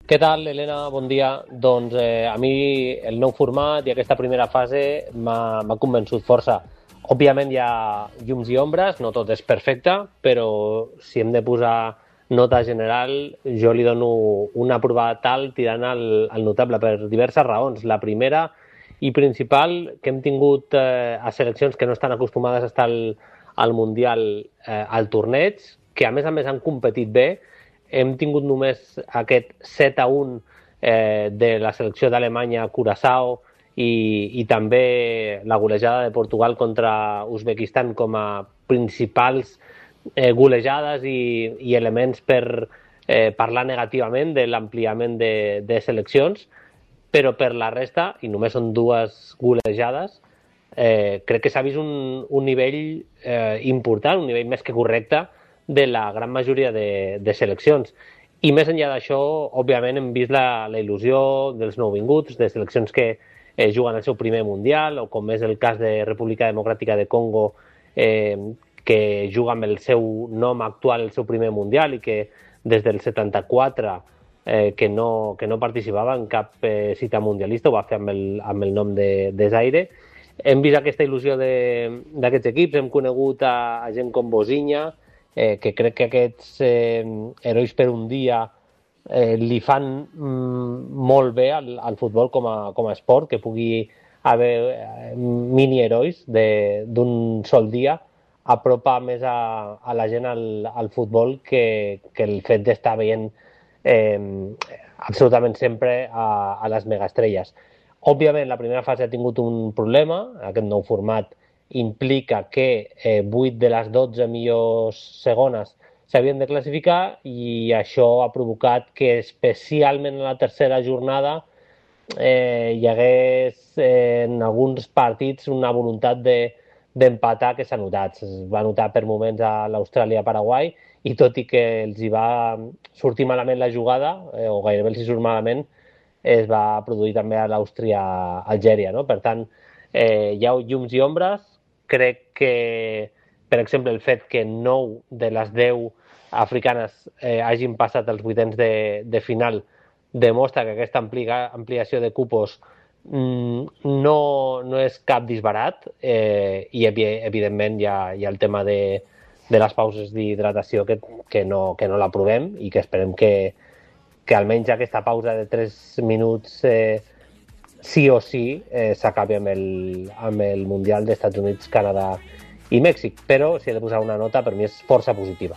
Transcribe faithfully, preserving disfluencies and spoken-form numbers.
Què tal, Helena? Bon dia. Doncs eh, a mi el nou format i aquesta primera fase m'ha convençut força. Òbviament hi ha llums i ombres, no tot és perfecte, però si hem de posar nota general, jo li dono una aprovada tal tirant al, al notable per diverses raons. La primera i principal, que hem tingut eh, a seleccions que no estan acostumades a estar al, al Mundial eh, al torneig, que a més a més han competit bé. Hem tingut només aquest set a un eh, de la selecció d'Alemanya a Curaçao i, i també la golejada de Portugal contra Uzbekistan com a principals eh, golejades i, i elements per eh, parlar negativament de l'ampliament de, de seleccions, però per la resta, i només són dues golejades, eh, crec que s'ha vist un, un nivell eh, important, un nivell més que correcte de la gran majoria de, de seleccions. I més enllà d'això, òbviament hem vist la, la il·lusió dels nouvinguts, de seleccions que eh, juguen el seu primer Mundial, o com és el cas de República Democràtica de Congo, eh, que juga amb el seu nom actual el seu primer Mundial i que des del setanta-quatre eh, que, no, que no participava en cap eh, cita mundialista, ho va fer amb el, amb el nom de, de Zaire. Hem vist aquesta il·lusió d'aquests equips, hem conegut a, a gent com Bosinha, Eh, que crec que aquests eh, herois per un dia eh, li fan mm, molt bé al, al futbol com a, com a esport, que pugui haver eh, mini-herois d'un sol dia, apropa més a, a la gent al, al futbol que, que el fet d'estar veient eh, absolutament sempre a, a les megaestrelles. Òbviament, la primera fase ha tingut un problema, aquest nou format implica que eh, vuit de les dotze millors segones s'havien de classificar i això ha provocat que especialment a la tercera jornada eh, hi hagués eh, en alguns partits una voluntat d'empatar de, que s'ha notat. Es va notar per moments a l'Austràlia-Paraguai i tot i que els hi va sortir malament la jugada, eh, o gairebé els hi surt malament, es va produir també a l'Àustria-Algèria, no? Per tant, eh, hi ha llums i ombres. Crec que, per exemple, el fet que nou de les deu africanes eh, hagin passat els vuitens de, de final demostra que aquesta amplia, ampliació de cupos mm, no, no és cap disbarat eh, i, evidentment, hi ha, hi ha el tema de, de les pauses d'hidratació que, que no, que no l'aprovem i que esperem que, que almenys aquesta pausa de tres minuts eh, sí o sí eh, s'acabi amb, el, amb el Mundial d'Estats Units, Canadà i Mèxic, però si he de posar una nota per mi és força positiva.